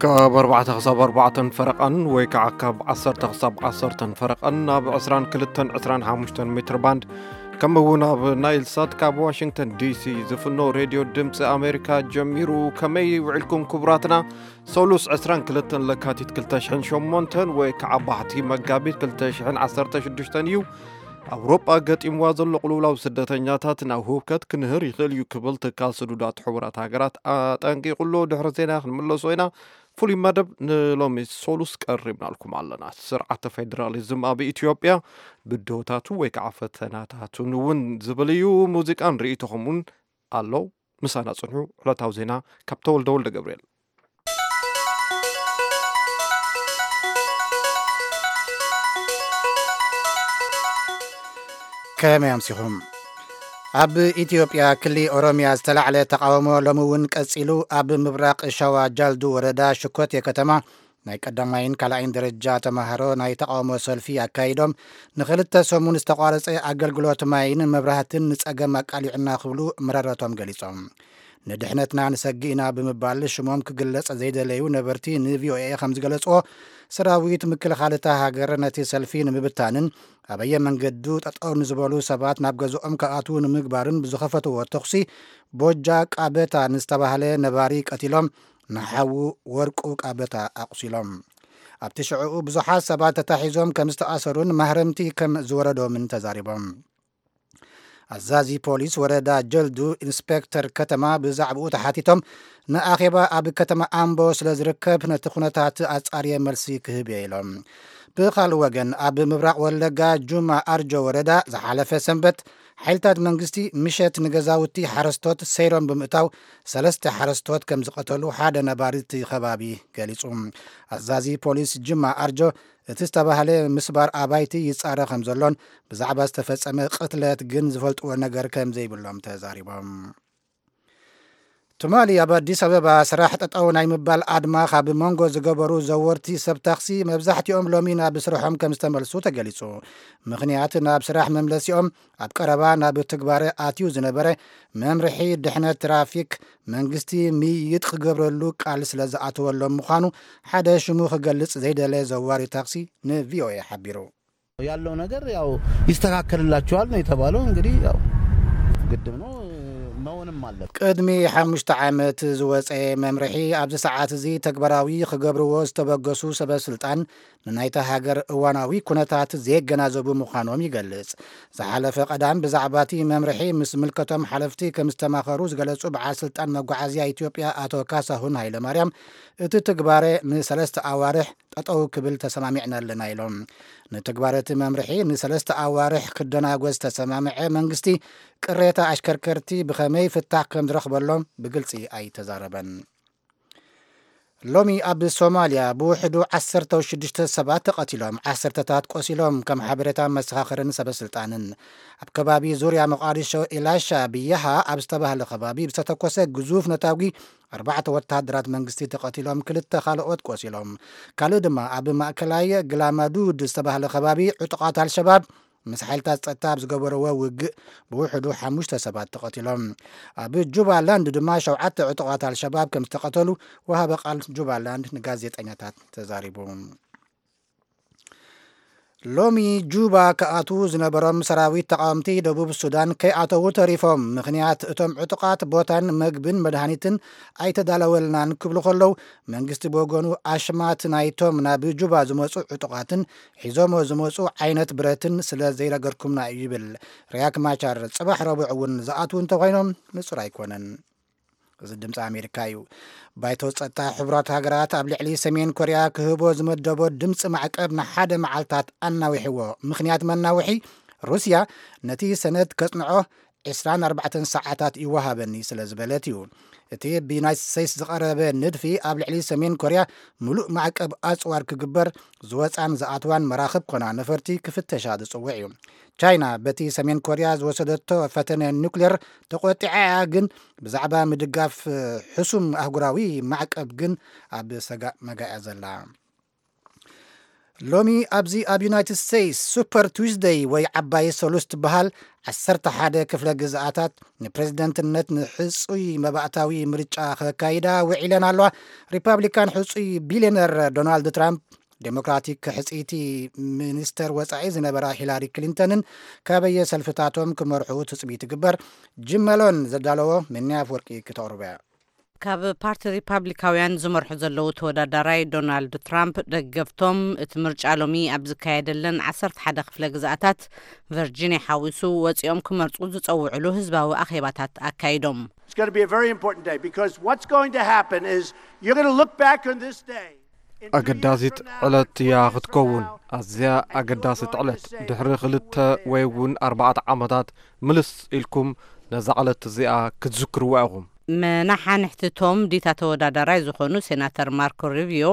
ካብ ኣርባዕተ ክሳብ ኣርባዕተን ፈረቓን ወይ ከዓ ካብ ዓሰርተ ክሳብ ዓሰርተን ፈረቓን ኣብ ዕስራን ክልተን ዕስራን ሓሙሽተን ሜትር ባንድ፣ ከምኡ እውን ኣብ ናይል ሳት ካብ ዋሽንግተን ዲሲ ዝፍኖ ሬድዮ ድምፂ ኣሜሪካ ጀሚሩ። ከመይ ውዒልኩም ክቡራትና? ሰሉስ ዕስራን ክልተን ለካቲት ክልተ ሽሕን ሸሞንተን ወይ ከዓ ባሕቲ መጋቢት ክልተ ሽሕን ዓሰርተ ሽዱሽተን እዩ። ኣውሮጳ ገጢምዋ ዘሎ ቅልውላው ስደተኛታት ናብ ህውከት ክንህር ይኽእል እዩ ክብል ትካል ስዱዳት ሕቡራት ሃገራት ኣጠንቂቑ ኣሎ። ድሕሪ ዜና ክንምለሶ ኢና። ፍሉይ መደብ ንሎሚ ሶሉስ ቀሪብናልኩም ኣለና። ስርዓተ ፌደራሊዝም ኣብ ኢትዮጵያ ብድሆታቱ ወይ ከዓ ፈተናታቱን እውን ዝብል እዩ። ሙዚቃን ርእይቶኹም እውን ኣሎ። ምሳና ጽንሑ። ዕለታዊ ዜና ካብ ተወልደ ወልደ ገብርኤል። ከመይ ኣምሲኹም? ኣብ ኢትዮጵያ ክሊ ኦሮሚያ ዝተላዕለ ተቃውሞ ሎሚ እውን ቀጺሉ። ኣብ ምብራቕ ሸዋ ጃልዱ ወረዳ ሽኮቴ ከተማ ናይ ቀዳማይን ካልኣይን ደረጃ ተማሃሮ ናይ ተቃውሞ ሰልፊ ኣካይዶም፣ ንኽልተ ሰሙን ዝተቋረጸ ኣገልግሎት ማይን መብራህትን ንጸገም ኣቃሊዑና ክብሉ ምረረቶም ገሊጾም። ንድሕነትና ንሰግእ ኢና ብምባል ሽሞም ክግለጽ ዘይደለዩ ነበርቲ ንቪኦኤ ከም ዝገለጽዎ፣ ሰራዊት ምክልኻል እታ ሃገር ነቲ ሰልፊ ንምብታንን ኣበየ መንገዱ ጠጠው ንዝበሉ ሰባት ናብ ገዝኦም ክኣትዉ ንምግባርን ብዝኸፈትዎ ተኹሲ፣ ቦጃ ቃበታ ንዝተባህለ ነባሪ ቀቲሎም፣ ንሓዉ ወርቁ ቃበታ ኣቑሲሎም። ኣብቲ ሽዕኡ ብዙሓት ሰባት ተታሒዞም ከም ዝተኣሰሩን ማህረምቲ ከም ዝወረዶምን ተዛሪቦም። ኣዛዚ ፖሊስ ወረዳ ጀልዱ ኢንስፔክተር ከተማ ብዛዕባኡ ተሓቲቶም፣ ንኣኼባ ኣብ ከተማ ኣምቦ ስለ ዝርከብ ነቲ ኩነታት ኣጻርየ መልሲ ክህብ እየ ኢሎም። ብኻልእ ወገን፣ ኣብ ምብራቕ ወለጋ ጁማ ኣርጆ ወረዳ ዝሓለፈ ሰንበት ሓይልታት መንግስቲ ምሸት ንገዛውቲ ሓረስቶት ሰይሮም ብምእታው ሰለስተ ሓረስቶት ከም ዝቐተሉ ሓደ ነባሪ እቲ ከባቢ ገሊጹ። ኣዛዚ ፖሊስ ጅማ ኣርጆ እቲ ዝተባህለ ምስባር ኣባይቲ ይጻረ ከም ዘሎን ብዛዕባ ዝተፈጸመ ቅትለት ግን ዝፈልጥዎ ነገር ከም ዘይብሎም ተዛሪቦም። ትማሊ ኣብ ኣዲስ ኣበባ ስራሕ ጠጠው ናይ ምባል ኣድማ ካብ መንጎ ዝገበሩ ዘወርቲ ሰብ ታክሲ መብዛሕትኦም ሎሚ ናብ ስርሖም ከም ዝተመልሱ ተገሊጹ። ምኽንያት ናብ ስራሕ መምለሲኦም ኣብ ቀረባ ናብ ትግባረ ኣትዩ ዝነበረ መምርሒ ድሕነት ትራፊክ መንግስቲ ምይይጥ ክገብረሉ ቃል ስለ ዝኣተወሎም ምዃኑ ሓደ ሽሙ ክገልጽ ዘይደለ ዘዋሪ ታክሲ ንቪኦኤ ሓቢሩ። ያለው ነገር ያው ይስተካከልላችኋል ነው የተባለው። እንግዲህ ያው ግድም ነው፣ መሆንም አለበት። ቅድሚ ሓሙሽተ ዓመት ዝወፀ መምርሒ ኣብዚ ሰዓት እዚ ተግባራዊ ክገብርዎ ዝተበገሱ ሰበ ስልጣን ንናይታ ሃገር እዋናዊ ኩነታት ዘየገናዘቡ ምዃኖም ይገልጽ። ዝሓለፈ ቀዳም ብዛዕባ እቲ መምርሒ ምስ ምልከቶም ሓለፍቲ ከም ዝተማኸሩ ዝገለጹ በዓል ስልጣን መጓዓዝያ ኢትዮጵያ ኣቶ ካሳሁን ሃይለማርያም፣ እቲ ትግባረ ንሰለስተ ኣዋርሕ ጠጠው ክብል ተሰማሚዕና ኣለና ኢሎም። ንትግባረ እቲ መምርሒ ንሰለስተ ኣዋርሕ ክደናጎ ዝተሰማምዐ መንግስቲ፣ ቅሬታ ኣሽከርከርቲ ብኸመይ ፍታሕ ከም ዝረኽበሎም ብግልጺ ኣይተዛረበን። ሎሚ ኣብ ሶማልያ ብውሕዱ ዓሰርተ ሽዱሽተ ሰባት ተቐቲሎም፣ ዓሰርተታት ቆሲሎም፣ ከም ሓበሬታ መሰኻኽርን ሰበ ስልጣንን። ኣብ ከባቢ ዙርያ መቓዲሾ ኢላሻ ብያሃ ኣብ ዝተባህለ ከባቢ ብዝተተኮሰ ግዙፍ ነታጒ ኣርባዕተ ወተሃደራት መንግስቲ ተቐቲሎም፣ ክልተ ካልኦት ቆሲሎም። ካልእ ድማ ኣብ ማእከላይ ግላማዱድ ዝተባህለ ከባቢ ዕጡቓት ኣልሸባብ ምስ ሓይልታት ጸጥታ ኣብ ዝገበርዎ ውግእ ብውሕዱ ሓሙሽተ ሰባት ተቐቲሎም። ኣብ ጁባላንድ ድማ ሸውዓተ ዕጡቓት ኣልሸባብ ከም ዝተቐተሉ ወሃቢ ቃል ጁባላንድ ንጋዜጠኛታት ተዛሪቡ። ሎሚ ጁባ ክኣትዉ ዝነበሮም ሰራዊት ተቃወምቲ ደቡብ ሱዳን ከይኣተዉ ተሪፎም። ምኽንያት እቶም ዕጡቓት ቦታን መግብን መድሃኒትን ኣይተዳለወልናን ክብሉ ከለዉ፣ መንግስቲ ብወገኑ ኣሽማት ናይቶም ናብ ጁባ ዝመጹ ዕጡቓትን ሒዞሞ ዝመጹ ዓይነት ብረትን ስለ ዘይረገርኩምና እዩ ይብል። ሪያክ ማቻር ጽባሕ ረቡዕ እውን ዝኣትዉ እንተኾይኖም ንጹር ኣይኮነን። እዚ ድምፂ ኣሜሪካ እዩ። ባይቶ ጸጥታ ሕቡራት ሃገራት ኣብ ልዕሊ ሰሜን ኮርያ ክህቦ ዝመደቦ ድምፂ ማዕቀብ ንሓደ መዓልታት ኣናዊሕዎ። ምኽንያት መናውሒ፣ ሩስያ ነቲ ሰነድ ከጽንዖ ዕስራን ኣርባዕተን ሰዓታት ይወሃበኒ ስለ ዝበለት እዩ። እቲ ብዩናይትድ ስቴትስ ዝቐረበ ንድፊ ኣብ ልዕሊ ሰሜን ኮርያ ምሉእ ማዕቀብ ኣጽዋር ክግበር፣ ዝወጻን ዝኣትዋን መራኽብ ኮና ነፈርቲ ክፍተሻ ዝጽውዕ እዩ። ቻይና በቲ ሰሜን ኮርያ ዝወሰደቶ ፈተነ ኑክሌር ተቖጢዓ እያ፣ ግን ብዛዕባ ምድጋፍ ሕሱም ኣህጉራዊ ማዕቀብ ግን ኣብ ሰጋእ መጋያ ዘላ። ሎሚ ኣብዚ ኣብ ዩናይትድ ስቴትስ ሱፐር ቱስደይ ወይ ዓባይ ሰሉስ ትበሃል፣ ዓሰርተ ሓደ ክፍለ ግዝኣታት ንፕሬዝደንትነት ንሕጹይ መባእታዊ ምርጫ ከካይዳ ውዒለን ኣለዋ። ሪፓብሊካን ሕጹይ ቢልዮነር ዶናልድ ትራምፕ፣ ዴሞክራቲክ ሕጽይቲ ሚኒስተር ወጻኢ ዝነበራ ሂላሪ ክሊንተንን ካበየ ሰልፍታቶም ክመርሑ ትጽቢት ይግበር። ጅመሎን ዘዳለዎ ምንያ ኣፍወርቂ ክተቕርቦ እያ። ካብ ፓርቲ ሪፓብሊካውያን ዝመርሑ ዘለዉ ተወዳዳራይ ዶናልድ ትራምፕ ደገፍቶም እቲ ምርጫ ሎሚ ኣብ ዝካየደለን ዓሰርተ ሓደ ክፍለ ግዝኣታት፣ ቨርጂኒያ ሓዊሱ፣ ወፂኦም ክመርፁ ዝፀውዕሉ ህዝባዊ ኣኼባታት ኣካይዶም። It's going to be a very important day because what's going to happen is you're going to look back on this day. In two years ኣገዳሲት from now, ዕለት እያ twenty years from ክትከውን። now, ኣዝያ ኣገዳሲት ዕለት፣ ድሕሪ ክልተ ወይ እውን ኣርባዕተ ዓመታት ምልስ ኢልኩም ነዛ ዕለት እዚኣ ክትዝክርዋ ኢኹም። መናሓንሕቲ ቶም ዲታ ተወዳዳራይ ዝኾኑ ሴናተር ማርኮ ሩቢዮ፣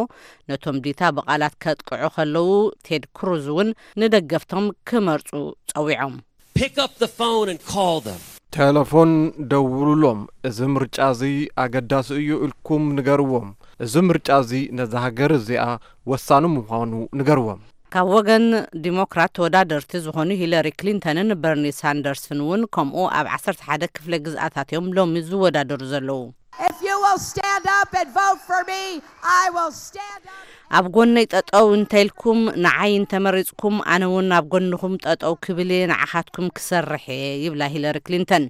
ነቶም ዲታ ብቓላት ከጥቅዑ ከለዉ፣ ቴድ ክሩዝ እውን ንደገፍቶም ክመርፁ ጸዊዖም። Pick up the phone and call them. ቴሌፎን ደውሉሎም። እዚ ምርጫ እዚ ኣገዳሲ እዩ ኢልኩም ንገርዎም። እዚ ምርጫ እዚ ነዛ ሃገር እዚኣ ወሳኒ ምዃኑ ንገርዎም። ካብ ወገን ዲሞክራት ተወዳደርቲ ዝኾኑ ሂለሪ ክሊንተንን በርኒ ሳንደርስን እውን ከምኡ ኣብ ዓሰርተ ሓደ ክፍለ ግዝኣታት እዮም ሎሚ ዝወዳደሩ ዘለዉ። If you will stand up and vote for me, I will stand up. ኣብ ጎነይ ጠጠው እንተኢልኩም፣ ንዓይ እንተመሪፅኩም፣ ኣነ እውን ኣብ ጎንኹም ጠጠው ክብል እየ፣ ንዓኻትኩም ክሰርሕ እየ፣ ይብላ ሂለሪ ክሊንተን።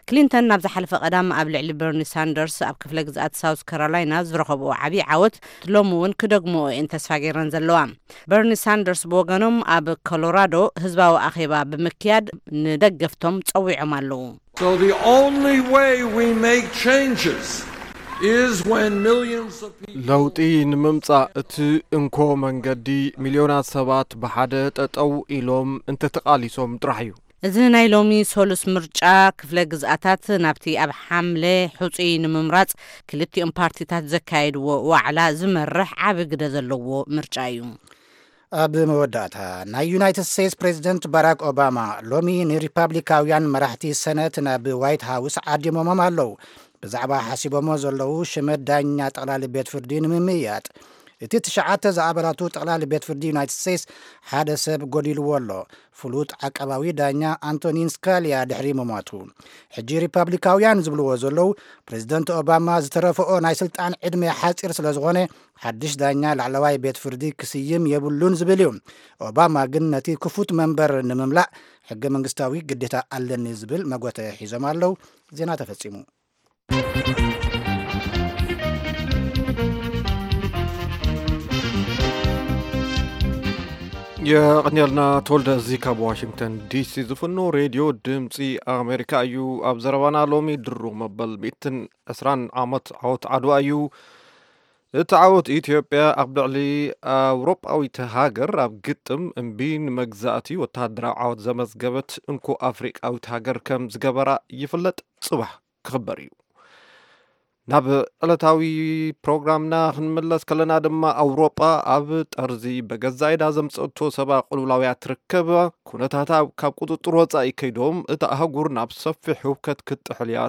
ክሊንተን ናብ ዝሓለፈ ቀዳም ኣብ ልዕሊ በርኒ ሳንደርስ ኣብ ክፍለ ግዝኣት ሳውዝ ካሮላይና ዝረኸብኦ ዓብዪ ዓወት ሎሚ እውን ክደግምኦ እየን ተስፋ ገይረን ዘለዋ። በርኒ ሳንደርስ ብወገኖም ኣብ ኮሎራዶ ህዝባዊ ኣኼባ ብምክያድ ንደገፍቶም ጸዊዖም ኣለዉ። So the only way we make changes is when millions of people ለውጢ ንምምጻእ እቲ እንኮ መንገዲ ሚልዮናት ሰባት ብሓደ ጠጠው ኢሎም እንተተቓሊሶም ጥራሕ እዩ። እዚ ናይ ሎሚ ሰሉስ ምርጫ ክፍለ ግዝኣታት ናብቲ ኣብ ሓምለ ሕጹይ ንምምራጽ ክልቲኦም ፓርቲታት ዘካየድዎ ዋዕላ ዝመርሕ ዓቢ ግደ ዘለዎ ምርጫ እዩ። ኣብ መወዳእታ፣ ናይ ዩናይትድ ስቴትስ ፕሬዚደንት ባራክ ኦባማ ሎሚ ንሪፓብሊካውያን መራሕቲ ሰነት ናብ ዋይት ሃውስ ዓዲሞሞም ኣለዉ። ብዛዕባ ሓሲቦሞ ዘለዉ ሽመት ዳኛ ጠቕላሊ ቤት ፍርዲ ንምምይያጥ፣ እቲ ትሽዓተ ዝኣባላቱ ጠቕላሊ ቤት ፍርዲ ዩናይትድ ስቴትስ ሓደ ሰብ ጎዲልዎ ኣሎ። ፍሉጥ ዓቃባዊ ዳኛ ኣንቶኒን ስካሊያ ድሕሪ ምሟቱ፣ ሕጂ ሪፓብሊካውያን ዝብልዎ ዘለዉ፣ ፕሬዚደንት ኦባማ ዝተረፈኦ ናይ ስልጣን ዕድመ ሓፂር ስለ ዝኾነ፣ ሓድሽ ዳኛ ላዕለዋይ ቤት ፍርዲ ክስይም የብሉን ዝብል እዩ። ኦባማ ግን ነቲ ክፉት መንበር ንምምላእ ሕገ መንግስታዊ ግዴታ ኣለኒ ዝብል መጎተ ሒዞም ኣለዉ። ዜና ተፈጺሙ። የቕንየልና ተወልደ። እዚ ካብ ዋሽንግተን ዲሲ ዝፍኖ ሬድዮ ድምፂ ኣሜሪካ እዩ። ኣብ ዘረባና ሎሚ ድሩብ መበል ሚእትን ዕስራን ዓመት ዓወት ዓድዋ እዩ። እቲ ዓወት ኢትዮጵያ ኣብ ልዕሊ ኣውሮጳዊት ሃገር ኣብ ግጥም እምቢ ንመግዛእቲ ወተሃደራዊ ዓወት ዘመዝገበት እንኮ ኣፍሪቃዊት ሃገር ከም ዝገበራ ይፍለጥ። ጽባሕ ክኽበር እዩ። ናብ ዕለታዊ ፕሮግራምና ክንምለስ ከለና ድማ፣ ኣውሮጳ ኣብ ጠርዚ በገዛ ኢዳ ዘምጸቶ ሰብኣዊ ቅልውላውያ ትርከብ። ኩነታታ ካብ ቁጽጽር ወጻኢ ከይዶም፣ እታ ኣህጉር ናብ ሰፊሕ ህውከት ክትጥሕል እያ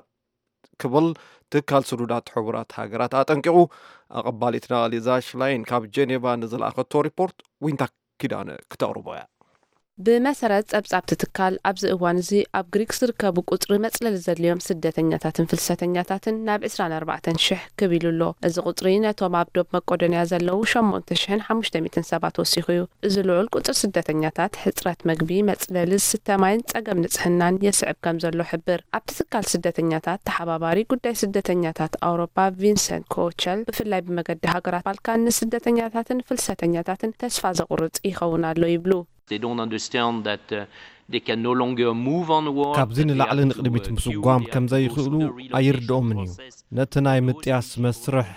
ክብል ትካል ስዱዳት ሕቡራት ሃገራት ኣጠንቂቑ። ኣቐባሊትና ሊዛ ሽላይን ካብ ጄኔቫ ንዝለኣኸቶ ሪፖርት ዊንታ ኪዳነ ክተቕርቦ እያ። ብመሰረት ጸብጻብቲ ትካል፣ ኣብዚ እዋን እዚ ኣብ ግሪክ ዝርከቡ ቁጽሪ መጽለሊ ዘድልዮም ስደተኛታትን ፍልሰተኛታትን ናብ ዕስራን ኣርባዕተን ሽሕ ክብ ኢሉ ኣሎ። እዚ ቁጽሪ ነቶም ኣብ ዶብ መቄዶንያ ዘለዉ ሸሞንተ ሽሕን ሓሙሽተ ሚእትን ሰባት ወሲኹ እዩ። እዚ ልዑል ቁጽሪ ስደተኛታት፣ ሕጽረት መግቢ፣ መጽለሊ፣ ዝስተ ማይን ጸገም ንጽህናን የስዕብ ከም ዘሎ ሕብር። ኣብቲ ትካል ስደተኛታት ተሓባባሪ ጉዳይ ስደተኛታት ኣውሮፓ ቪንሰንት ኮቸል፣ ብፍላይ ብመገዲ ሃገራት ባልካን ንስደተኛታትን ፍልሰተኛታትን ተስፋ ዘቑርጽ ይኸውን ኣሎ ይብሉ። They don't understand that uh, they can no longer move onward. ካብዚ ንላዕሊ ንቕድሚት ምስጓም ከም ዘይኽእሉ ኣይርድኦምን እዩ። ነቲ ናይ ምጥያስ መስርሕ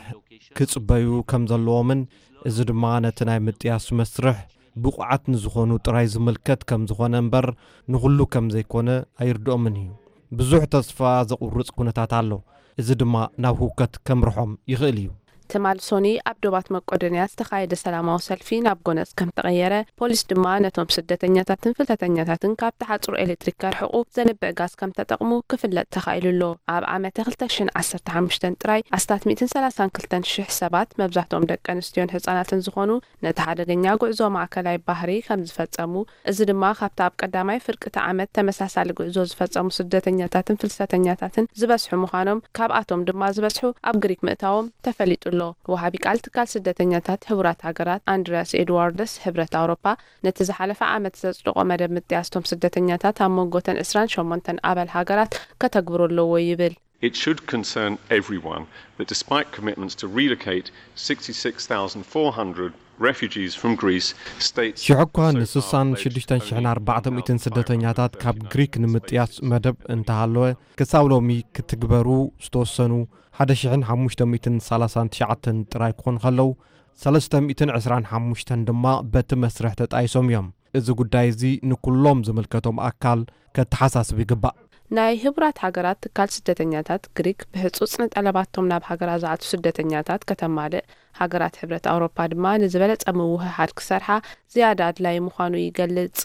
ክጽበዩ ከም ዘለዎምን፣ እዚ ድማ ነቲ ናይ ምጥያስ መስርሕ ብቑዓት ንዝኾኑ ጥራይ ዝምልከት ከም ዝኾነ እምበር፣ ንኹሉ ከም ዘይኮነ ኣይርድኦምን እዩ። ብዙሕ ተስፋ ዘቑርጽ ኩነታት ኣሎ። እዚ ድማ ናብ ህውከት ከምርሖም ይኽእል እዩ። ትማል ሶኒ ኣብ ዶባት መቄዶንያ ዝተኻየደ ሰላማዊ ሰልፊ ናብ ጎነጽ ከም ተቐየረ፣ ፖሊስ ድማ ነቶም ስደተኛታትን ፍልሰተኛታትን ካብቲ ሓጹር ኤሌክትሪክ ከርሕቑ ዘንብዕ ጋዝ ከም ተጠቕሙ ክፍለጥ ተኻኢሉ ኣሎ። ኣብ ዓመተ ክልተ ሽሕን ዓሰርተ ሓሙሽተን ጥራይ ኣስታት ሚእትን ሰላሳን ክልተን ሽሕ ሰባት፣ መብዛሕትኦም ደቂ ኣንስትዮን ህጻናትን ዝኾኑ፣ ነቲ ሓደገኛ ጉዕዞ ማእከላይ ባህሪ ከም ዝፈጸሙ፣ እዚ ድማ ካብቲ ኣብ ቀዳማይ ፍርቂ እቲ ዓመት ተመሳሳሊ ጉዕዞ ዝፈጸሙ ስደተኛታትን ፍልሰተኛታትን ዝበዝሑ ምዃኖም፣ ካብኣቶም ድማ ዝበዝሑ ኣብ ግሪክ ምእታዎም ተፈሊጡ ኣሎ። ወሃቢ ቃል ትካል ስደተኛታት ሕቡራት ሃገራት ኣንድሪያስ ኤድዋርደስ፣ ሕብረት ኣውሮፓ ነቲ ዝሓለፈ ዓመት ዘጽደቖ መደብ ምጥያስቶም ስደተኛታት ኣብ መንጎተን ዕስራን ሸሞንተን ኣባል ሃገራት ከተግብሮ ኣለዎ ይብል። It should concern everyone that despite commitments to relocate sixty-six thousand four hundred refugees from Greece, states ሽሕ እኳ so far ንስሳን failed ሽዱሽተን ሽሕን only ኣርባዕተ ሚእትን ስደተኛታት ካብ ግሪክ ንምጥያስ መደብ እንተሃለወ፣ ክሳብ ሎሚ ክትግበሩ ዝተወሰኑ ሓደ ሽሕን ሓሙሽተ ሚእትን ሰላሳን ትሽዓተን ጥራይ ክኾኑ ከለዉ፣ ሰለስተ ሚእትን ዕስራን ሓሙሽተን ድማ በቲ መስርሕ ተጣይሶም እዮም። እዚ ጉዳይ እዚ ንኩሎም ዝምልከቶም ኣካል ከተሓሳስብ ይግባእ። ናይ ሕቡራት ሃገራት ትካል ስደተኛታት፣ ግሪክ ብህጹጽ ንጠለባቶም ናብ ሃገራ ዝኣቱ ስደተኛታት ከተማልእ፣ ሃገራት ሕብረት ኣውሮፓ ድማ ንዝበለጸ ምውህሃድ ክሰርሓ ዝያዳ ኣድላዪ ምዃኑ ይገልጽ።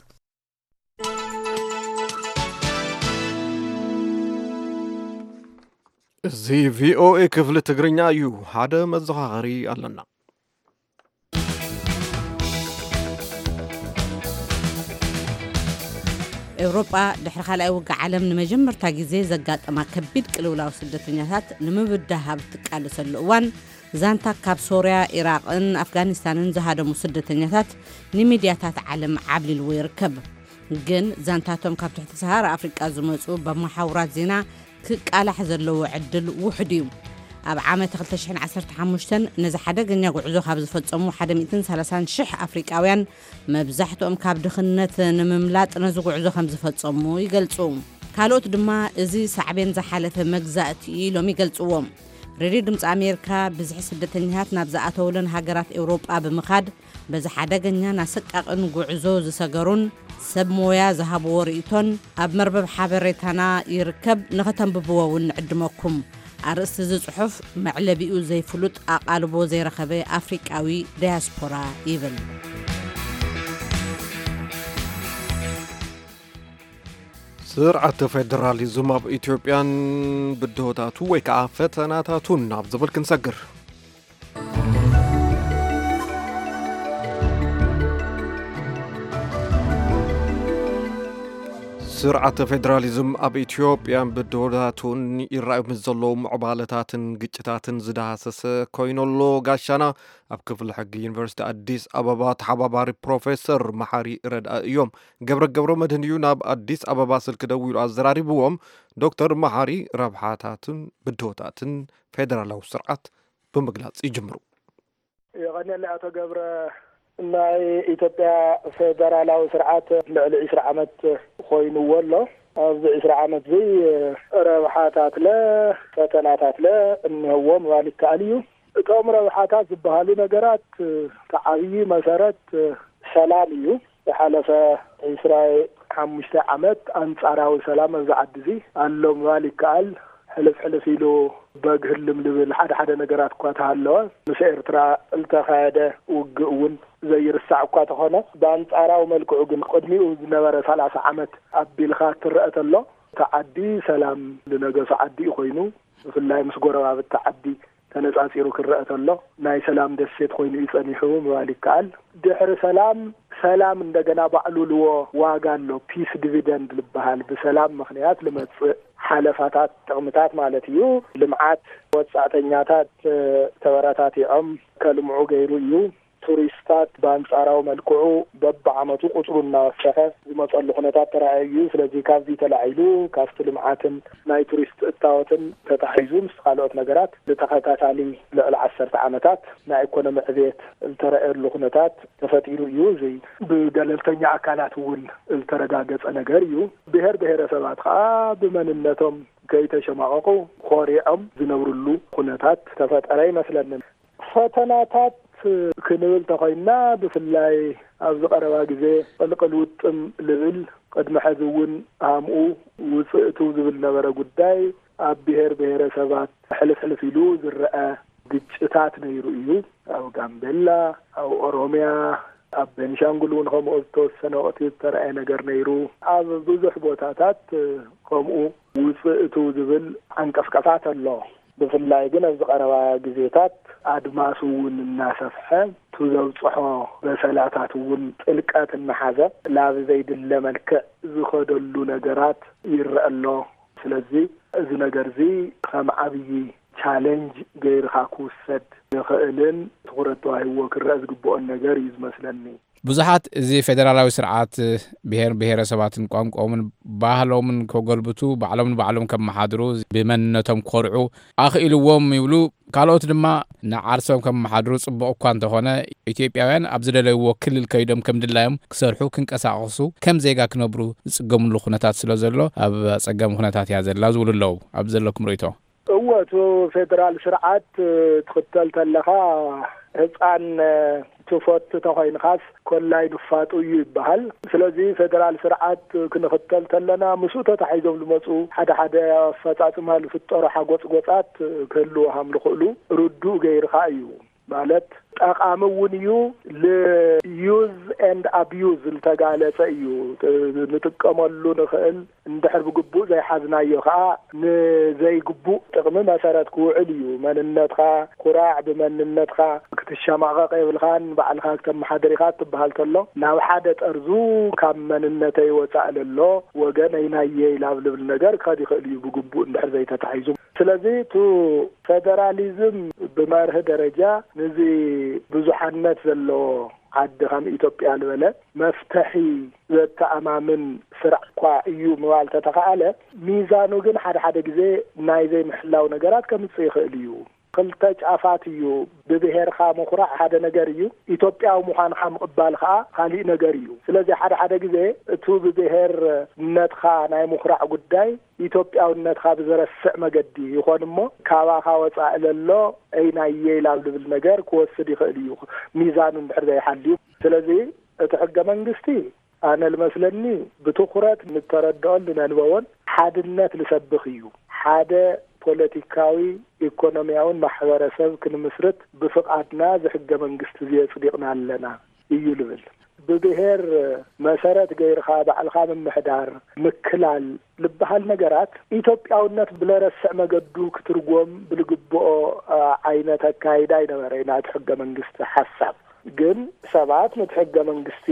እዚ ቪኦኤ ክፍሊ ትግርኛ እዩ። ሓደ መዘኻኸሪ ኣለና። ኤውሮጳ ድሕሪ ካልኣይ ውግእ ዓለም ንመጀመርታ ግዜ ዘጋጠማ ከቢድ ቅልውላው ስደተኛታት ንምብዳህ ኣብ እትቃለሰሉ እዋን፣ ዛንታ ካብ ሶርያ፣ ኢራቕን ኣፍጋኒስታንን ዝሃደሙ ስደተኛታት ንሚድያታት ዓለም ዓብሊልዎ ይርከብ። ግን ዛንታቶም ካብ ትሕቲ ሰሃራ ኣፍሪቃ ዝመጹ በመሓውራት ዜና ክቃላሕ ዘለዎ ዕድል ውሑድ እዩ። ኣብ ዓመት ክልተ ሽሕን ዓሰርተ ሓሙሽተን ነዚ ሓደገኛ ጉዕዞ ካብ ዝፈጸሙ ሓደ ሚእትን ሰላሳን ሽሕ ኣፍሪቃውያን፣ መብዛሕትኦም ካብ ድኽነት ንምምላጥ ነዚ ጉዕዞ ከም ዝፈጸሙ ይገልጹ። ካልኦት ድማ እዚ ሳዕቤን ዝሓለፈ መግዛእቲ እዩ ኢሎም ይገልጽዎ። ሬድዮ ድምፂ ኣሜሪካ ብዝሒ ስደተኛታት ናብ ዝኣተውለን ሃገራት ኤውሮጳ ብምኻድ በዚ ሓደገኛን ኣሰቃቕን ጉዕዞ ዝሰገሩን ሰብ ሞያ ዝሃብዎ ርእይቶን ኣብ መርበብ ሓበሬታና ይርከብ፣ ንኸተንብብዎ እውን ንዕድመኩም። ኣርእስቲ እዚ ጽሑፍ መዕለቢኡ ዘይፍሉጥ ኣቓልቦ ዘይረኸበ ኣፍሪቃዊ ዳያስፖራ ይብል። ስርዓተ ፌደራሊዝም ኣብ ኢትዮጵያን ብድሆታቱ ወይ ከዓ ፈተናታቱን ናብ ዝብል ክንሰግር። ስርዓተ ፌደራሊዝም ኣብ ኢትዮጵያን ብድሆታቱን ይረኣዩ ምስ ዘለዉ ምዕባለታትን ግጭታትን ዝዳህሰሰ ኮይኑ ኣሎ። ጋሻና ኣብ ክፍሊ ሕጊ ዩኒቨርሲቲ ኣዲስ ኣበባ ተሓባባሪ ፕሮፌሰር መሓሪ ረድኣ እዮም። ገብረ ገብረ መድህን እዩ ናብ ኣዲስ ኣበባ ስልኪ ደዊሉ ኣዘራሪብዎም። ዶክተር መሓሪ ረብሓታትን ብድሆታትን ፌደራላዊ ስርዓት ብምግላጽ ይጅምሩ። የቐንየለይ ኣቶ ገብረ። ናይ ኢትዮጵያ ፌደራላዊ ስርዓት ልዕሊ ዒስራ ዓመት ኮይንዎ ኣሎ። ኣብዚ ዒስራ ዓመት እዚ ረብሓታትለ ፈተናታትለ እኒሀዎ ምባል ይከኣል እዩ። እቶም ረብሓታት ዝበሃሉ ነገራት እቲ ዓብዪ መሰረት ሰላም እዩ። ዝሓለፈ ዒስራ ሓሙሽተ ዓመት ኣንጻራዊ ሰላም ኣብዚ ዓዲ እዚ ኣሎ ምባል ይከኣል። ሕልፍ ሕልፍ ኢሉ በግ ህልም ልብል ሓደ ሓደ ነገራት እኳ ተሃለወ፣ ምስ ኤርትራ ዝተኻየደ ውግእ እውን ዘይርሳዕ እኳ ተኾነ፣ ብኣንጻራዊ መልክዑ ግን ቅድሚኡ ዝነበረ ሰላሳ ዓመት ኣቢልካ ትረአ ተሎ፣ እቲ ዓዲ ሰላም ዝነገሶ ዓዲ እዩ ኮይኑ፣ ብፍላይ ምስ ጎረባብቲ ዓዲ ተነጻጺሩ ክረአ ተሎ፣ ናይ ሰላም ደሴት ኮይኑ እዩ ጸኒሑ ምባል ይከኣል። ድሕሪ ሰላም፣ ሰላም እንደገና ባዕሉ ልዎ ዋጋ ኣሎ፣ ፒስ ዲቪደንድ ዝበሃል፣ ብሰላም ምኽንያት ልመጽእ ሓለፋታት፣ ጥቕምታት ማለት እዩ። ልምዓት፣ ወጻእተኛታት ተበረታቲዖም ከልምዑ ገይሩ እዩ። ቱሪስታት ብኣንጻራዊ መልክዑ በብዓመቱ ቁጽሩ እናወሰኸ ዝመጸሉ ኩነታት ተራእዩ እዩ። ስለዚ ካብዚ ተላዒሉ ካብቲ ልምዓትን ናይ ቱሪስት እታወትን ተታሒዙ ምስ ካልኦት ነገራት ብተኸታታሊ ልዕሊ ዓሰርተ ዓመታት ናይ ኢኮኖሚ ዕብየት ዝተረኣየሉ ኩነታት ተፈጢሩ እዩ። እዚ ብገለልተኛ ኣካላት እውን ዝተረጋገጸ ነገር እዩ። ብሔር ብሔረሰባት ከዓ ብመንነቶም ከይተሸማቐቑ ኮሪዖም ዝነብርሉ ኩነታት ተፈጠረ ይመስለኒ። ፈተናታት ክንብል ተኾይንና፣ ብፍላይ ኣብዚ ቀረባ ግዜ ቅልቅል ውጥም ልብል፣ ቅድሚ ሕዚ እውን ሃምኡ ውፅእቱ ዝብል ነበረ ጉዳይ፣ ኣብ ብሔር ብሔረሰባት ሕልፍ ሕልፍ ኢሉ ዝረአ ግጭታት ነይሩ እዩ። ኣብ ጋምቤላ፣ ኣብ ኦሮሚያ፣ ኣብ ቤኒሻንጉል እውን ከምኡ ዝተወሰነ ወቕቲ ዝተረኣየ ነገር ነይሩ። ኣብ ብዙሕ ቦታታት ከምኡ ውፅእ እቱ ዝብል ዓንቀፍቀፋት ኣሎ። ብፍላይ ግን ኣብዚ ቀረባ ግዜታት ኣድማሱ እውን እናሰፍሐ፣ እቱ ዘብፅሖ በሰላታት እውን ጥልቀት እናሓዘ፣ ናብ ዘይድለ መልክዕ ዝኸደሉ ነገራት ይረአ ኣሎ። ስለዚ እዚ ነገር እዚ ከም ዓብዪ ቻሌንጅ ገይርካ ክውሰድ ዝኽእልን ትኹረት ተዋሂብዎ ክረአ ዝግብኦን ነገር እዩ ዝመስለኒ። ብዙሓት እዚ ፌደራላዊ ስርዓት ብሔር ብሔረሰባትን ቋንቋኦምን ባህሎምን ከጎልብቱ፣ ባዕሎም ንባዕሎም ከመሓድሩ፣ ብመንነቶም ኮርዑ ኣኽኢልዎም ይብሉ። ካልኦት ድማ ንዓርሶም ከመሓድሩ ጽቡቕ እኳ እንተኾነ፣ ኢትዮጵያውያን ኣብ ዝደለይዎ ክልል ከይዶም ከም ድላዮም ክሰርሑ፣ ክንቀሳቐሱ፣ ከም ዜጋ ክነብሩ ዝጽገምሉ ኩነታት ስለ ዘሎ፣ ኣብ ኣጸጋሚ ኩነታት እያ ዘላ ዝብሉ ኣለዉ። ኣብ ዘለኩም ርእይቶ? እወ፣ እቲ ፌደራል ስርዓት ትኽተል ተለኻ፣ ህፃን ትፈቱ ተኾይንኻስ ኮላይ ንፋጡ እዩ ይበሃል። ስለዚ ፌደራል ስርዓት ክንኽተል ተለና፣ ምስኡ ተታሒዞም ዝመፁ ሓደ ሓደ ኣፈፃፅማ ዝፍጠሩ ሓጎፅጎፃት ክህልዉ ሃም ዝኽእሉ ርዱእ ገይርኻ እዩ። ማለት ጠቓሚ እውን እዩ። ል-use and abuse ዝተጋለጸ እዩ። ንጥቀመሉ ንኽእል፣ እንድሕር ብግቡእ ዘይሓዝናዮ ኸኣ ንዘይግቡእ ጥቕሚ መሰረት ክውዕል እዩ። መንነትኻ ኩራዕ፣ ብመንነትካ ክትሸማቐቕ የብልኻን፣ ባዕልኻ ክተመሓድር ኢኻ ትበሃል ተሎ፣ ናብ ሓደ ጠርዙ ካብ መንነተይ ወጻእ ለሎ ወገነይ ናየይ ላብ ልብል ነገር ክኸድ ይኽእል እዩ፣ ብግቡእ እንድሕር ዘይተታሒዙ። ስለዚ፣ እቱ ፌደራሊዝም ብመርህ ደረጃ ንዚ ብዙሓነት ዘለዎ ዓዲ ከም ኢትዮጵያ ዝበለ መፍትሒ ዘተኣማምን ስራሕ እኳ እዩ ምባል ተተኻኣለ፣ ሚዛኑ ግን ሓደ ሓደ ግዜ ናይ ዘይምሕላው ነገራት ከምጽእ ይኽእል እዩ። ክልተ ጫፋት እዩ። ብብሄርካ ምኹራዕ ሓደ ነገር እዩ፣ ኢትዮጵያዊ ምዃንካ ምቕባል ከኣ ካሊእ ነገር እዩ። ስለዚ ሓደ ሓደ ግዜ እቱ ብብሄርነትካ ናይ ምኹራዕ ጉዳይ ኢትዮጵያውነትካ ብዘረስዕ መገዲ ይኾን እሞ፣ ካባኻ ወጻኢ ለሎ፣ "እይ ናየይ" ላብ ልብል ነገር ክወስድ ይኽእል እዩ፣ ሚዛኑ እንድሕር ዘይሓልዩ። ስለዚ እቲ ሕገ መንግስቲ ኣነ ልመስለኒ ብትኹረት ንተረድኦን ንነንበቦን ሓድነት ልሰብኽ እዩ። ሓደ ፖለቲካዊ፣ ኢኮኖሚያውን ማሕበረሰብ ክንምስርት ብፍቓድና እዚ ሕገ መንግስቲ እዚ የጽዲቕና ኣለና እዩ ልብል። ብብሄር መሰረት ገይርኻ ባዕልኻ ምምሕዳር፣ ምክላል ልበሃል ነገራት ኢትዮጵያውነት ብለረስዕ መገዱ ክትርጎም ብልግብኦ፣ አ፣ ዓይነት ኣካይዳ ኣይነበረ ናይቲ ሕገ መንግስቲ ሓሳብ። ግን ሰባት ነቲ ሕገ መንግስቲ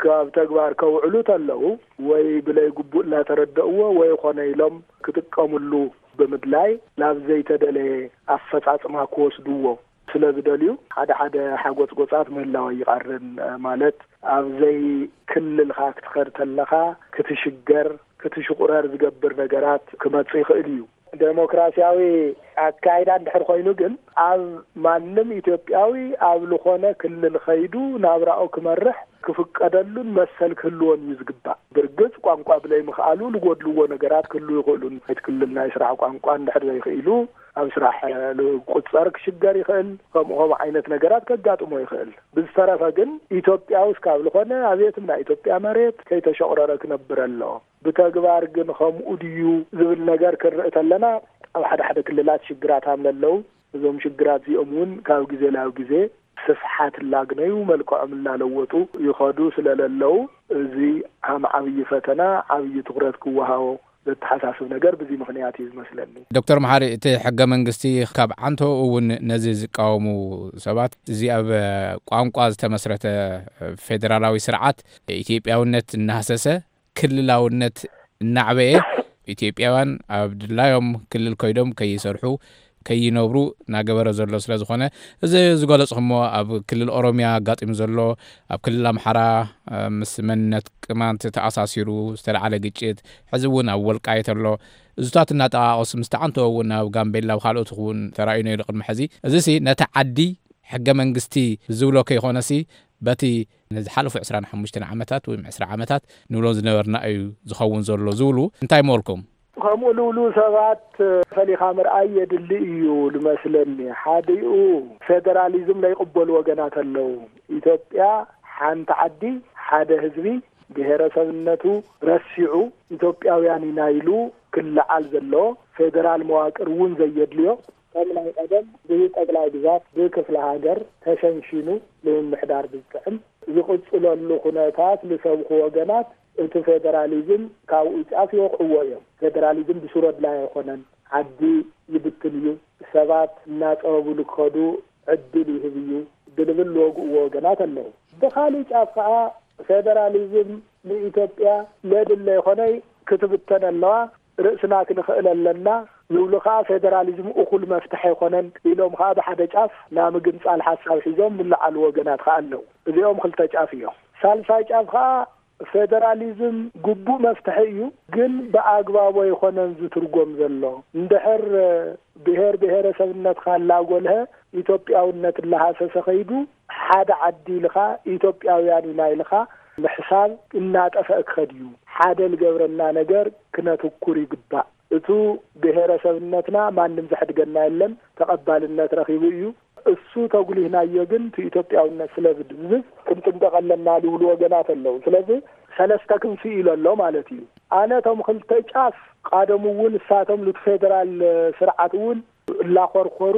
ካብ ተግባር ከውዕሉ ተለዉ ወይ ብለይ ግቡእ እናተረደእዎ ወይ ኾነ ኢሎም ክጥቀምሉ ብምድላይ ናብ ዘይተደለየ ኣፈጻጽማ ክወስድዎ ስለ ዝደልዩ ሓደ ሓደ ሓጎጽጎጻት ምህላው ኣይቃርን። ማለት ኣብ ዘይክልልኻ ክትኸድ ተለኻ ክትሽገር፣ ክትሽቑረር ዝገብር ነገራት ክመጽእ ይኽእል እዩ። ዴሞክራሲያዊ ኣካይዳ እንድሕር ኮይኑ ግን ኣብ ማንም ኢትዮጵያዊ ኣብ ዝኾነ ክልል ኸይዱ ናብራኡ ክመርሕ ክፍቀደሉን መሰል ክህልዎን እዩ ዝግባእ። ብርግጽ ቋንቋ ብለይ ምኽኣሉ ዝጎድልዎ ነገራት ክህልዉ ይኽእሉ። ናይቲ ክልል ናይ ስራሕ ቋንቋ እንድሕር ዘይኽኢሉ ኣብ ስራሕ ልቁጸር ክሽገር ይኽእል። ከምኡ ከምኡ ዓይነት ነገራት ከጋጥሞ ይኽእል። ብዝተረፈ ግን ኢትዮጵያዊ እስካብ ዝኾነ ኣብ የትም ናይ ኢትዮጵያ መሬት ከይተሸቑረረ ክነብር ኣለዎ። ብተግባር ግን ከምኡ ድዩ ዝብል ነገር ክንርኢ ተለና፣ ኣብ ሓደ ሓደ ክልላት ሽግራት ሃም ለለዉ፣ እዞም ሽግራት እዚኦም እውን ካብ ግዜ ናብ ግዜ ስፍሓት እናግነዩ፣ መልክዖም እናለወጡ ይኸዱ ስለ ለለዉ፣ እዚ ሃም ዓብዪ ፈተና፣ ዓብዪ ትኹረት ክወሃቦ ዘተሓሳስብ ነገር ብዚ ምኽንያት እዩ ዝመስለኒ። ዶክተር መሓሪ፣ እቲ ሕገ መንግስቲ ካብ ዓንተኡ እውን ነዚ ዝቃወሙ ሰባት፣ እዚ ኣብ ቋንቋ ዝተመስረተ ፌደራላዊ ስርዓት ኢትዮጵያውነት እናህሰሰ፣ ክልላውነት እናዕበየ፣ ኢትዮጵያውያን ኣብ ድላዮም ክልል ከይዶም ከይሰርሑ፣ ከይነብሩ እናገበረ ዘሎ ስለ ዝኾነ፣ እዚ ዝገለጽኹሞ ኣብ ክልል ኦሮሚያ ኣጋጢሙ ዘሎ፣ ኣብ ክልል ኣምሓራ፣ እ፣ ምስ መንነት ቅማንት ተኣሳሲሩ ዝተለዓለ ግጭት፣ ሕዚ እውን ኣብ ወልቃይት ኣሎ። እዙታት እናጠቓቐሱ ምስ ተዓንተዎ እውን ኣብ ጋምቤላ፣ ኣብ ካልኦት እውን ተራእዩ ነይሩ ቅድሚ ሕዚ። እዚሲ ነቲ ዓዲ ሕገ መንግስቲ ዝብሎ ከይኾነሲ፣ በቲ ንዝሓለፉ ዕስራን ሓሙሽተን ዓመታት ወይ ዕስራ ዓመታት ንብሎ ዝነበርና እዩ ዝኸውን ዘሎ ዝብሉ እንታይ ምበልኩም? ከምኡ ልብሉ ሰባት ፈሊኻ ምርኣይ የድሊ እዩ ልመስለኒ። ሓዲኡ ፌደራሊዝም ለይቕበሉ ወገናት ኣለዉ። ኢትዮጵያ ሓንቲ ዓዲ፣ ሓደ ህዝቢ፣ ብሄረሰብነቱ ረሲዑ ኢትዮጵያውያን ኢና ኢሉ ክለዓል ዘሎ፣ ፌደራል መዋቅር እውን ዘየድልዮ፣ ከም ናይ ቀደም ብጠቅላይ ግዛት ብክፍለ ሃገር ተሸንሺኑ ንምምሕዳር ብዝጥዕም ዝቕጽለሉ ኩነታት ዝሰብኹ ወገናት እቲ ፌደራሊዝም ካብኡ ጫፍ ይወቕዕዎ እዮም። ፌደራሊዝም ብሱረድላይ ኣይኮነን፣ ዓዲ ይብትን እዩ፣ ሰባት እናጸበቡሉ ክኸዱ ዕድል ይህብ እዩ ብልብል ዝወግእዎ ወገናት ኣለዉ። ብኻሊእ ጫፍ ከኣ ፌደራሊዝም ንኢትዮጵያ ለድለ ይኾነይ ክትብተን ኣለዋ፣ ርእስና ክንኽእል ኣለና ዝብሉ ከኣ ፌደራሊዝም እኹል መፍትሒ ኣይኮነን ኢሎም ከኣ ብሓደ ጫፍ ናይ ምግንጻል ሓሳብ ሒዞም ዝለዓሉ ወገናት ከኣ ኣለዉ። እዚኦም ክልተ ጫፍ እዮም። ሳልሳይ ጫፍ ከኣ ፌደራሊዝም ግቡእ መፍትሒ እዩ፣ ግን ብኣግባቡ ኣይኮነን ዝትርጎም ዘሎ። እንድሕር ብሔር ብሔረሰብነትካ እናጎልሀ ኢትዮጵያውነት እናሃሰሰ ከይዱ ሓደ ዓዲ ኢልኻ ኢትዮጵያውያን ኢና ኢልኻ ምሕሳብ እናጠፍአ ክኸድ እዩ። ሓደ ዝገብረና ነገር ክነትኩር ይግባእ። እቱ ብሔረሰብነትና ማንም ዘሕድገና የለን፣ ተቐባልነት ረኺቡ እዩ። እሱ ተጉሊህናዮ ግን እቲ ኢትዮጵያውነት ስለ ዝድብዝዝ ክንጥንቀቕ ኣለና ዝብሉ ወገናት ኣለዉ። ስለዚ ሰለስተ ክንፊ ኢሉ ኣሎ ማለት እዩ። ኣነ እቶም ክልተ ጫፍ ቃደሙ እውን እሳቶም ሉት ፌደራል ስርዓት እውን እላኾርኮሩ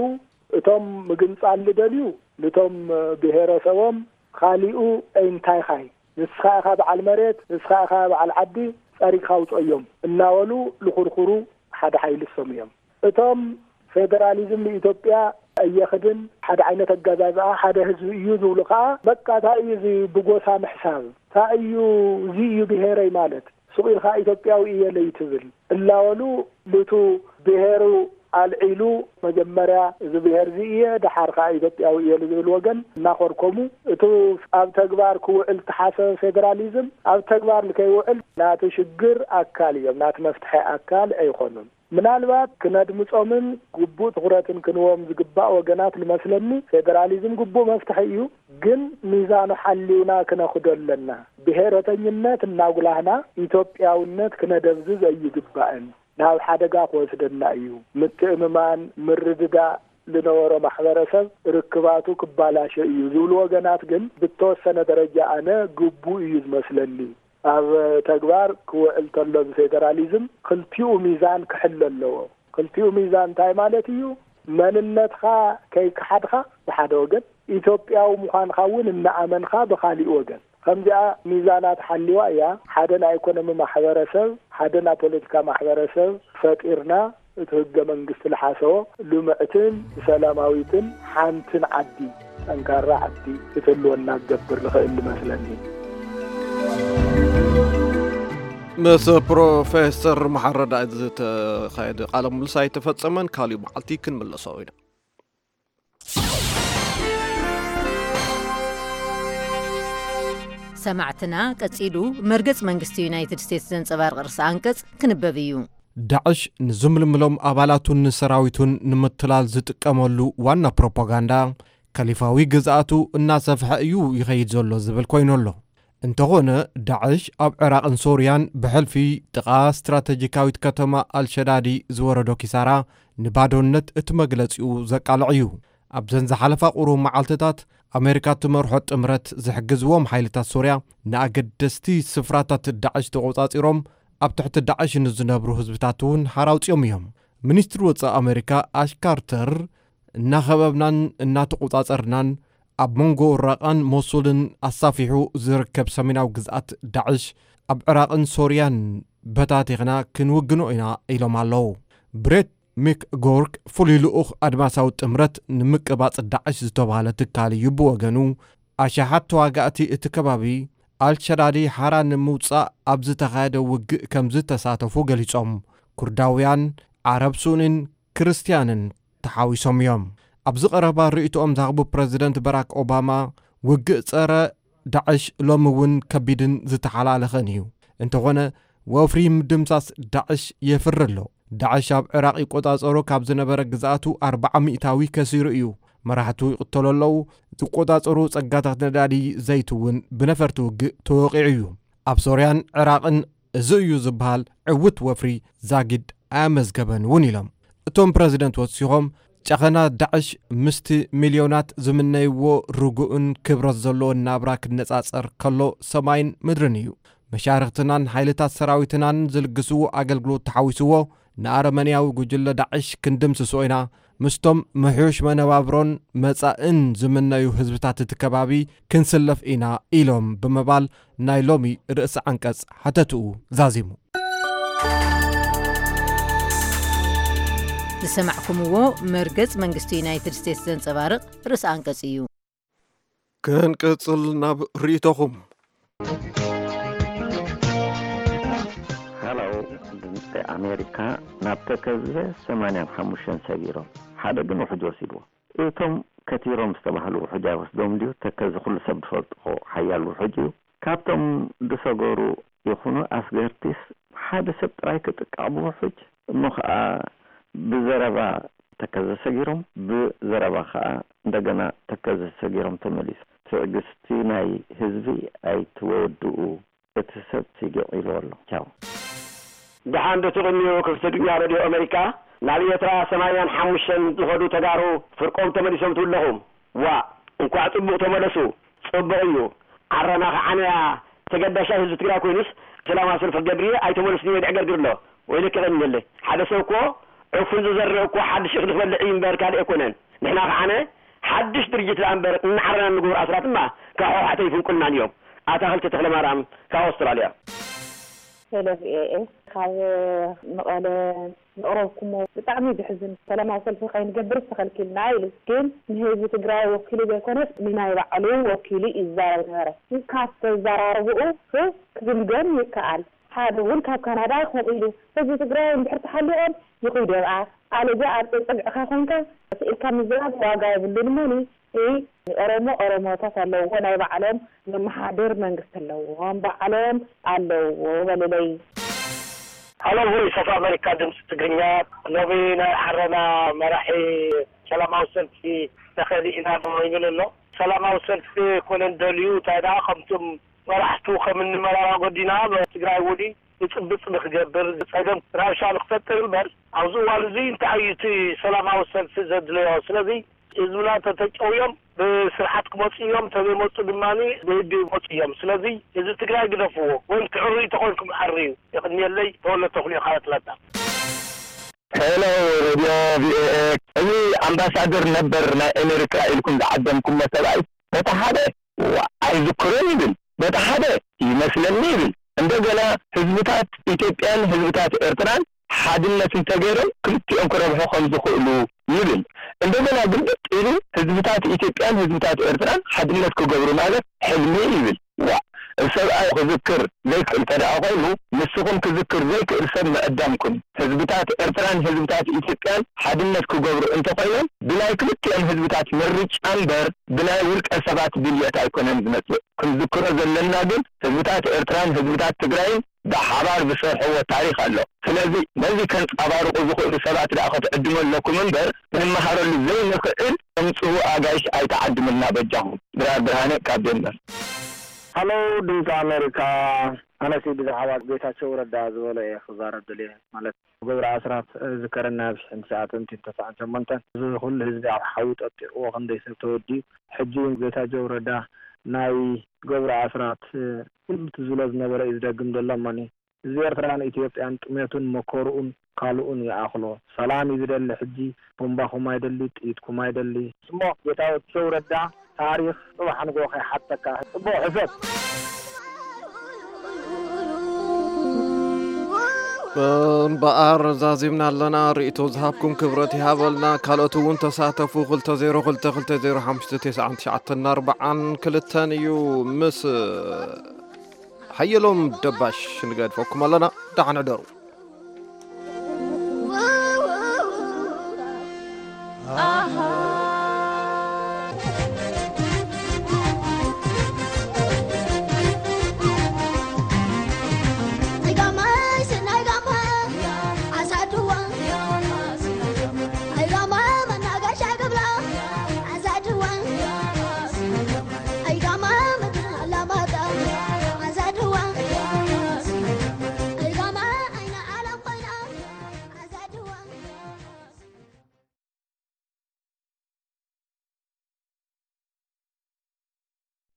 እቶም ምግንጻል ዝደልዩ ንቶም ብሔረሰቦም ካሊኡ እንታይ ኻይ ንስኻ ኢኻ በዓል መሬት ንስኻ ኢኻ በዓል ዓዲ ጸሪግካ ውጸዮም እናበሉ ልኹርኩሩ ሓደ ሓይሊ እሶም እዮም። እቶም ፌደራሊዝም ንኢትዮጵያ ኣየኽድን ሓደ ዓይነት ኣገዛዝኣ ሓደ ህዝቢ እዩ ዝብሉ ከዓ በቃ እንታይ እዩ እዚ ብጎሳ ምሕሳብ እንታይ እዩ እዚ እዩ ብሔረይ ማለት ሱቕ ኢልካ ኢትዮጵያዊ እየ ለይትብል እላበሉ ልቱ ብሔሩ ኣልዒሉ መጀመርያ እዚ ብሔር እዚ እየ ደሓር ከዓ ኢትዮጵያዊ እየ ዝብል ወገን እናኾርኮሙ እቱ ኣብ ተግባር ክውዕል ተሓሰበ ፌደራሊዝም ኣብ ተግባር ንከይውዕል ናቲ ሽግር ኣካል እዮም ናቲ መፍትሐ ኣካል ኣይኾኑን ምናልባት ክነድምጾምን ግቡእ ትኹረትን ክንዎም ዝግባእ ወገናት ልመስለኒ ፌደራሊዝም ግቡእ መፍትሒ እዩ ግን ሚዛኑ ሓሊውና ክነኽዶ ኣለና። ብሄረተኝነት እናጉላህና ኢትዮጵያውነት ክነደብዝዝ ኣይግባእን። ናብ ሓደጋ ክወስደና እዩ። ምትእምማን፣ ምርድዳእ ዝነበሮ ማሕበረሰብ ርክባቱ ክባላሸ እዩ ዝብሉ ወገናት ግን ብተወሰነ ደረጃ ኣነ ግቡእ እዩ ዝመስለኒ። ኣብ ተግባር ክውዕል ተሎ እዚ ፌደራሊዝም ክልቲኡ ሚዛን ክሕሎ ኣለዎ። ክልቲኡ ሚዛን እንታይ ማለት እዩ? መንነትኻ ከይከሓድካ ብሓደ ወገን፣ ኢትዮጵያዊ ምዃንካ እውን እናኣመንካ ብኻሊእ ወገን። ከምዚኣ ሚዛና ተሓሊዋ እያ ሓደ ናይ ኢኮኖሚ ማሕበረሰብ፣ ሓደ ናይ ፖለቲካ ማሕበረሰብ ፈጢርና እቲ ህገ መንግስቲ ልሓሰቦ ልምዕትን ሰላማዊትን ሓንትን ዓዲ፣ ጠንካራ ዓዲ ክትህልወና ክገብር ዝኽእል ዝመስለኒ። ምስ ፕሮፌሰር መሓረዳ ዝተኻየደ ቃለ ምልልስ ኣይተፈጸመን። ካሊእ መዓልቲ ክንምለሶ ኢና። ሰማዕትና፣ ቀጺሉ መርገጽ መንግስቲ ዩናይትድ ስቴትስ ዘንጸባርቕ ርእሰ ኣንቀጽ ክንበብ እዩ። ዳዕሽ ንዝምልምሎም ኣባላቱን ንሰራዊቱን ንምትላል ዝጥቀመሉ ዋና ፕሮፓጋንዳ፣ ከሊፋዊ ግዝኣቱ እናሰፍሐ እዩ ይኸይድ ዘሎ ዝብል ኮይኑ ኣሎ። እንተኾነ፣ ዳዕሽ ኣብ ዕራቕን ሶርያን ብሕልፊ ጥቓ ስትራተጂካዊት ከተማ ኣልሸዳዲ ዝወረዶ ኪሳራ ንባዶነት እቲ መግለጺኡ ዘቃልዕ እዩ። ኣብዘን ዝሓለፋ ቁሩብ መዓልትታት፣ ኣሜሪካ እትመርሖ ጥምረት ዝሕግዝዎም ሓይልታት ሶርያ ንኣገደስቲ ስፍራታት ዳዕሽ ተቖጻጺሮም ኣብ ትሕቲ ዳዕሽ ንዝነብሩ ህዝብታት እውን ሓራ ኣውጺኦም እዮም። ሚኒስትሪ ወጻኢ ኣሜሪካ ኣሽ ካርተር፣ እናኸበብናን እናተቖጻጸርናን ኣብ መንጎ ራቓን ሞሱልን ኣሳፊሑ ዝርከብ ሰሜናዊ ግዝኣት ዳዕሽ ኣብ ዕራቕን ሶርያን በታቲኽና ክንውግኖ ኢና ኢሎም ኣለዉ። ብሬት ሚክ ጎርክ፣ ፍሉይ ልኡኽ ኣድማሳዊ ጥምረት ንምቅባጽ ዳዕሽ ዝተባህለ ትካል እዩ ብወገኑ፣ ኣሽሓት ተዋጋእቲ እቲ ከባቢ ኣልሸዳዲ ሓራ ንምውጻእ ኣብ ዝተኻየደ ውግእ ከም ዝተሳተፉ ገሊጾም። ኩርዳውያን፣ ዓረብ ሱኒን ክርስትያንን ተሓዊሶም እዮም። ኣብዚ ቀረባ ርእይቶኦም ዝሃቡ ፕረዚደንት በራክ ኦባማ፣ ውግእ ጸረ ዳዕሽ ሎሚ እውን ከቢድን ዝተሓላለኸን እዩ። እንተኾነ፣ ወፍሪ ምድምሳስ ዳዕሽ የፍሪ ኣሎ። ዳዕሽ ኣብ ዕራቕ ይቆጻጸሮ ካብ ዝነበረ ግዝኣቱ ኣርብዓ ሚእታዊ ከሲሩ እዩ። መራሕቱ ይቕተሉ ኣለዉ። ዝቆጻጸሩ ጸጋታት ነዳዲ ዘይት እውን ብነፈርቲ ውግእ ተወቒዑ እዩ። ኣብ ሶርያን ዕራቕን እዚ እዩ ዝበሃል ዕውት ወፍሪ ዛጊድ ኣያመዝገበን እውን ኢሎም። እቶም ፕረዚደንት ወሲኾም፣ ጨኸና ዳዕሽ ምስቲ ሚልዮናት ዝምነይዎ ርጉእን ክብረት ዘለዎን ናብራ ክነጻጸር ከሎ ሰማይን ምድርን እዩ። መሻርኽትናን ሓይልታት ሰራዊትናን ዝልግስዎ ኣገልግሎት ተሓዊስዎ፣ ንኣረመንያዊ ጉጅለ ዳዕሽ ክንድምስሶ ኢና፣ ምስቶም ምሕዩሽ መነባብሮን መጻእን ዝምነዩ ህዝብታት እቲ ከባቢ ክንስለፍ ኢና ኢሎም ብምባል ናይ ሎሚ ርእሲ ዓንቀጽ ሓተትኡ ዛዚሙ። ዝሰማዕኩምዎ መርገጽ መንግስቲ ዩናይትድ ስቴትስ ዘንጸባርቕ ርእሲ ኣንቀጽ እዩ። ክንቅጽል ናብ ርእይቶኹም። ሃሎ ድምፂ ኣሜሪካ ናብ ተከዘ ሰማንያን ሓሙሽተን ሰጊሮም ሓደ ግን ውሕጅ ወሲድዎ። እቶም ከቲሮም ዝተባህሉ ውሕጅ ኣይወስዶም ድዩ? ተከዘ ኩሉ ሰብ ዝፈልጥዎ ሓያል ውሕጅ እዩ። ካብቶም ዝሰገሩ ይኹኑ ኣስገርቲስ ሓደ ሰብ ጥራይ ክጥቀዕ ብውሕጅ እሞ ከዓ ብዘረባ ተከዘ ሰጊሮም ብዘረባ ከዓ እንደገና ተከዘ ሰጊሮም ተመሊሱ። ትዕግስቲ ናይ ህዝቢ ኣይትወድኡ። እቲ ሰብ ሲግዕ ኢሉ ኣሎ። ቻው። ደሓን ዶ ትቕንዩ ክፍቲ ድኛ ረድዮ ኣመሪካ? ናብ ኤርትራ ሰማንያን ሓሙሽተን ዝኸዱ ተጋሩ ፍርቆም ተመሊሶም ትብለኹም። ዋእ እንኳዕ ጽቡቕ ተመለሱ። ጽቡቕ እዩ። ዓረና ከዓነያ ተገዳሻይ ህዝቢ ትግራይ ኮይኑስ ሰላማዊ ሰልፊ ክገብር እየ ኣይተመለስን እየ ድዕገርግር ኣሎ። ወይለኪ ቐንየለይ። ሓደ ሰብ እኮ ዕፉን ዝዘርእ እኮ ሓድሽ እኽሊ ክበልዕ እዩ እምበር ካልእ ኣይኮነን። ንሕና ከዓነ ሓድሽ ድርጅት ደኣ እምበር እናዓረና እንገብሩ ኣስራት እማ ካብ ሕወሓት ኣይፍንቁልናን እዮም። ኣታኽልቲ ተኽለማርያም ካብ ኣውስትራልያ። ሄሎ ቪኦኤ ካብ መቐለ ዘቕረብኩሞ ብጣዕሚ ዘሕዝን ሰላማዊ ሰልፊ ከይንገብርስ ተኸልኪልና ኢሉ ግን ንህዝቢ ትግራይ ወኪሉ ዘይኮነስ ንናይ ባዕሉ ወኪሉ እዩ ዝዛረብ ነበረ ካብ ተዘራርብኡ ክግምገም ይከኣል ሓደ እውን ካብ ካናዳ ከምኡ ኢሉ ህዝቢ ትግራይ እንድሕር ተሓሊቖም ይኹይደብኣ ኣለዚያ ኣብ ፀግዕኻ ኮይንካ ስኢልካ ምዝራብ ዋጋ የብሉን እሞኒ ኦሮሞ ኦሮሞታት ኣለውዎ ናይ ባዕሎም ዘመሓድር መንግስቲ ኣለዎም ባዕሎም ኣለውዎ በልለይ። ሃሎ ቮይስ ኦፍ ኣሜሪካ ድምፂ ትግርኛ ሎሚ ናይ ዓረና መራሒ ሰላማዊ ሰልፊ ተኸዲ ኢና ዶ ይብል ኣሎ። ሰላማዊ ሰልፊ ኮነ እንደልዩ እንታይ ደኣ ከምቶም መራሕቱ ከም እንመራራ ጎዲና ትግራይ ውዲ ብፅብፅ ንክገብር ፀገም ራብሻ ንክፈጥር እምበር ኣብዚ እዋን እዚ እንታይ እዩ እቲ ሰላማዊ ሰልፊ ዘድለዮ? ስለዚ ህዝብና ተተጨውዮም ብስርዓት ክመፁ እዮም፣ ተዘይመፁ ድማ ብህግ ይመፁ እዮም። ስለዚ ህዝቢ ትግራይ ግደፍዎ ወይም ትዕርዩ ተኾንኩም ኣርዩ። የቕንየለይ ተወለ ተኽልዮ ካብ ኣትላንታ። ሄሎ ሬድዮ ቪኦኤ፣ እዚ ኣምባሳደር ነበር ናይ ኤሜሪካ ኢልኩም ዝዓደምኩሞ ሰብኣይ በቲ ሓደ ዋ ኣይዝክሮን ይብል፣ በቲ ሓደ ይመስለኒ ይብል። እንደገና ህዝብታት ኢትዮጵያን ህዝብታት ኤርትራን ሓድነት እንተገይሮም ክልቲኦም ክረብሑ ከም ዝኽእሉ ይብል። እንደገና ግልብጥ ኢሉ ህዝብታት ኢትዮጵያን ህዝብታት ኤርትራን ሓድነት ክገብሩ ማለት ሕልሚ ይብል። ዋእ ሰብኣይ ክዝክር ዘይክእል ተደኣ ኮይኑ ንስኹም ክዝክር ዘይክእል ሰብ ምዕዳምኩም። ህዝብታት ኤርትራን ህዝብታት ኢትዮጵያን ሓድነት ክገብሩ እንተኾይኖም ብናይ ክልቲኦም ህዝብታት ምርጫ እምበር ብናይ ውልቀ ሰባት ድልየት ኣይኮነን ዝመጽእ። ክንዝክሮ ዘለና ግን ህዝብታት ኤርትራን ህዝብታት ትግራይን ብሓባር ዝሰርሕዎ ታሪኽ ኣሎ። ስለዚ ነዚ ከንጻባርቑ ዝኽእሉ ሰባት ደኣ ክትዕድሙ ኣለኩም እምበር ክንመሃረሉ ዘይንኽእል ተምጽኡ ኣጋይሽ ኣይትዓድሙልና በጃኹም። ድራር ብርሃነ ካብ ዴንቨር። ሃሎ ድምፂ ኣሜሪካ ኣነሲ ብዛዕባ ጌታቸው ረዳ ዝበሎ እየ ክዛረብ ደልየ ማለት ገብረ ኣስራት ዝከረና ኣብ ሽሕን ትሽዓተን ሚእትን ተስዓን ሸሞንተን እዚ ኩሉ ህዝቢ ኣብ ሓዊ ጠጢቕዎ ክንደይ ሰብ ተወዲኡ ሕጂ እውን ጌታቸው ረዳ ናይ ገብረ ኣስራት ኩሉ እቲ ዝብሎ ዝነበረ እዩ ዝደግም ዘሎ እሞኒ ህዝቢ ኤርትራን ኢትዮጵያን ጥሜቱን መከርኡን ካልኡን ይኣኽሎ ሰላም እዩ ዝደሊ ሕጂ ቡምባኹም ኣይደሊ ጥይትኩም ኣይደሊ እሞ ጌታቸው ረዳ ታሪኽ ጽባሕ ንግሆ ከይሓተካ ጽቡቕ ሕሰብ። እምበኣር ዛዚምና ኣለና ርእይቶ ዝሃብኩም ክብረት ይሃበልና ካልኦት እውን ተሳተፉ ክልተ ዜሮ ክልተ ክልተ ዜሮ ሓሙሽተ ተስዓን ትሽዓተን ኣርብዓን ክልተን እዩ ምስ ሓየሎም ደባሽ ንገድፈኩም ኣለና ደሓን ሕደሩ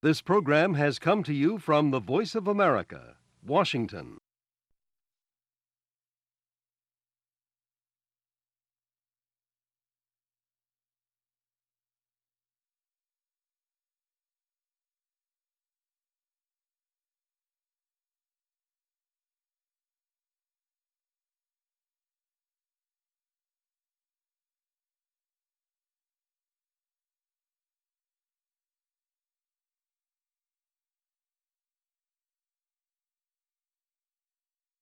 This program has come to you from the Voice of America, Washington.